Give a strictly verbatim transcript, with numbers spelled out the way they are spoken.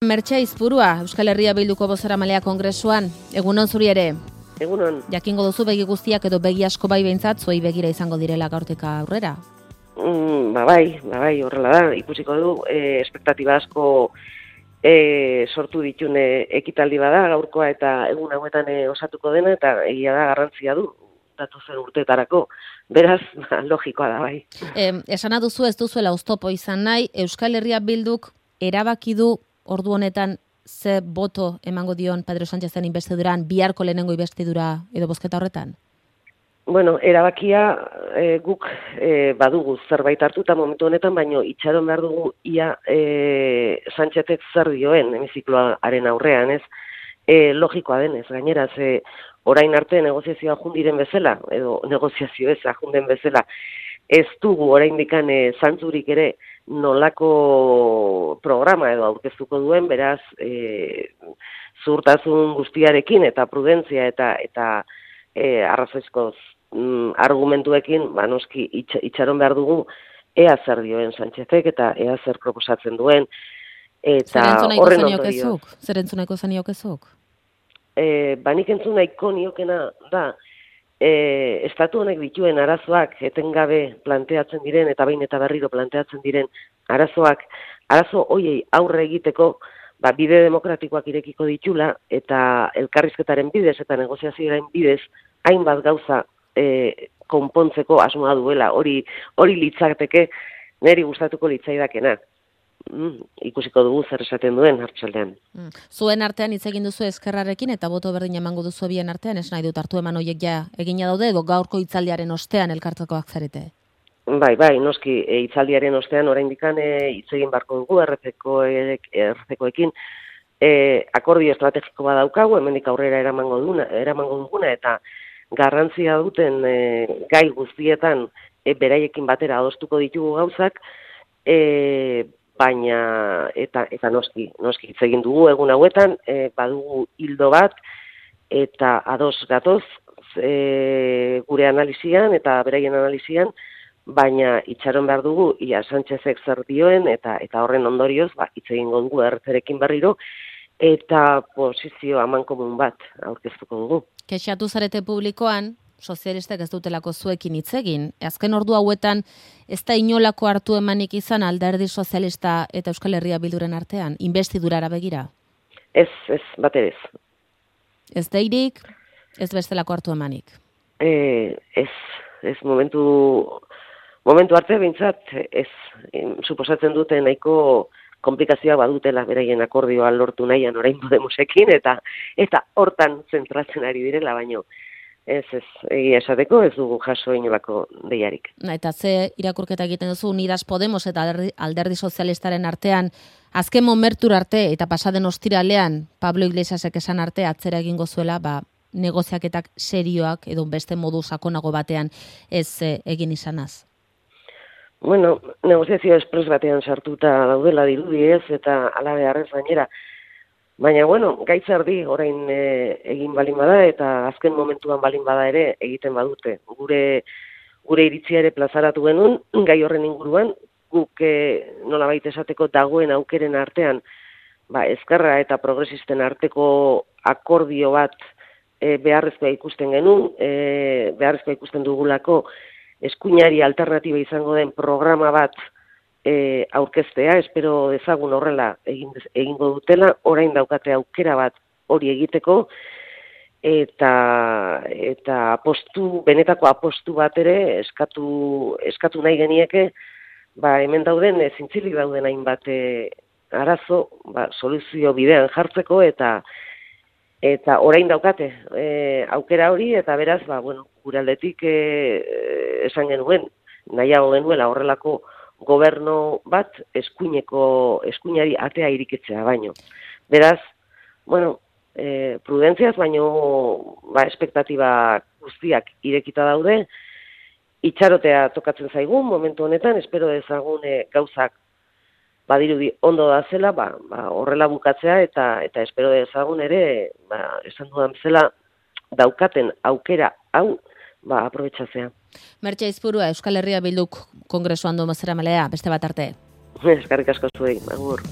Mertxe Aizpurua, Euskal Herria Bilduko bozeramalea kongresuan, egunon zuri ere. Egunon. Jakingo duzu begi guztiak edo begi asko bai behintzat, zuei begira izango direla gaurtik aurrera. Mm, ba bai, ba bai, horrela da, ikusiko du, e, espektatiba asko e, sortu ditune ekitaldi bada gaurkoa eta egun hauetan e, osatuko dena, eta egia da garrantzia du, datozen urteetarako. Beraz, ba, logikoa da bai. E, esana duzu ez duzuela oztopo izan nahi, Euskal Herria Bilduk erabaki du ordu honetan ze boto emango dion Pedro Sánchezen investiduran, biharko lehenengo investidura edo bozketa horretan? Bueno, erabakia e, guk e, badugu zerbait hartuta momentu honetan, baino itxaron behar dugu ia e, Sánchezek zer dioen hemizikloaren aurrean, ez? E, logikoa denez, gainera, ze orain arte negoziazioa jundiren bezala, edo negoziazio ez ajunden bezala, ez dugu oraindikan e, zantzurik ere nolako programa edo aurkeztuko duen, beraz, e, zuhurtasun guztiarekin eta prudentzia eta eta e, arrazoizko mm, argumentuekin, ba, noski itx, itxaron behar dugu ea zer dioen Sánchezek eta ea zer proposatzen duen. Eta horren ondorio. Zer entzuneko zaniokezuk? E, banik entzun nahiko niokena da, E, estatu honek dituen arazoak etengabe planteatzen diren eta behin eta berriro planteatzen diren arazoak, arazo hoiei aurre egiteko ba, bide demokratikoak irekiko ditula eta elkarrizketaren bidez eta negoziazioaren bidez hainbat gauza e, konpontzeko asmoa duela, hori hori litzateke niri gustatuko litzaidakena. Mm, ikusiko dugu zer esaten duen hartxaldean. Mm. Zuen artean hitz egin duzu Ezkerrarekin eta boto berdin emango duzu bien artean, ez nahi dut hartu eman horiek ja egina daude edo gaurko hitzaldiaren ostean elkartzekoak zarete? Bai, bai, noski e, hitzaldiaren ostean oraindikan e, hitz egin barko dugu R P koekin e, akordio estrategiko bat daukagu, hemendik aurrera eramango duguna, eramango duguna eta garrantzia duten e, gai guztietan e, beraiekin batera adostuko ditugu gauzak, e, baina eta eta noski, noski hitz egin dugu egun hauetan, e, badugu hildo bat eta ados gatoz e, gure analizian eta beraien analizian, baina itxaron behar dugu ia Sánchezek zer dioen eta eta horren ondorioz ba hitz egingo dugu errezerekin berriro eta posizio amankomun bat aurkeztuko dugu. Kexatu zarete publikoan sozialistek ez dutelako zuekin hitz egin. Azken ordu hauetan ez da inolako hartu emanik izan Alderdi Sozialista eta Euskal Herria Bilduren artean, investidurara begira? Ez, ez, bat ez. Ez deirik, ez bestelako hartu emanik? E, ez, ez momentu, momentu arte behintzat, ez, suposatzen dute nahiko komplikazioa badutela beraien akordioa lortu nahian orain Podemosekin eta eta hortan zentratzen ari direla baino. Ez, ez, egia esateko ez dugu jaso inolako deiarik. Na, eta ze irakurketa egiten duzu Unidas Podemos eta Alderdi, Alderdi Sozialistaren artean, azken momentur arte eta pasaden ostiralean Pablo Iglesiasek esan arte atzera egingo zuela, ba, negoziaketak serioak edo beste modu sakonago batean ez e, egin izanaz. Bueno, negoziazio espres batean sartuta daudela dirudi ez eta ala beharrez gainera. Baina, bueno, gaitz erdi orain e, egin balin bada eta azken momentuan balin bada ere egiten badute. Gure gure iritzia ere plazaratu genuen, gai horren inguruan, guk e, nolabait esateko dagoen aukeren artean, ba, Ezkerra eta progresisten arteko akordio bat e, beharrezkoa ikusten genuen, e, beharrezkoa ikusten dugulako eskuinari alternatiba izango den programa bat E, aurkeztea, espero dezagun horrela egin, egingo dutela, orain daukate aukera bat hori egiteko, eta eta apostu, benetako apostu bat ere eskatu, eskatu nahi genieke, ba, hemen dauden, zintzilik dauden hainbat e, arazo, ba, soluzio bidean jartzeko, eta eta orain daukate e, aukera hori, eta beraz, ba, bueno, gure aldetik e, esan genuen, nahiago genuela horrelako gobernu bat eskuineko eskuinari atea irikitzea baino. Beraz, bueno, e, prudentziaz baino ba espektatiba guztiak irekita daude. Itxarotea tokatzen zaigun momentu honetan, espero dezagun e, gauzak badirudi ondo da zela, ba, ba horrela bukatzea eta eta espero dezagun ere, ba esan dudan bezala daukaten aukera hau ba aprobetxatzea. Mertxe Aizpurua, Euskal Herria Bilduk kongresuan du bozeramalea, beste bat arte. Eskerrik asko zuei, agur.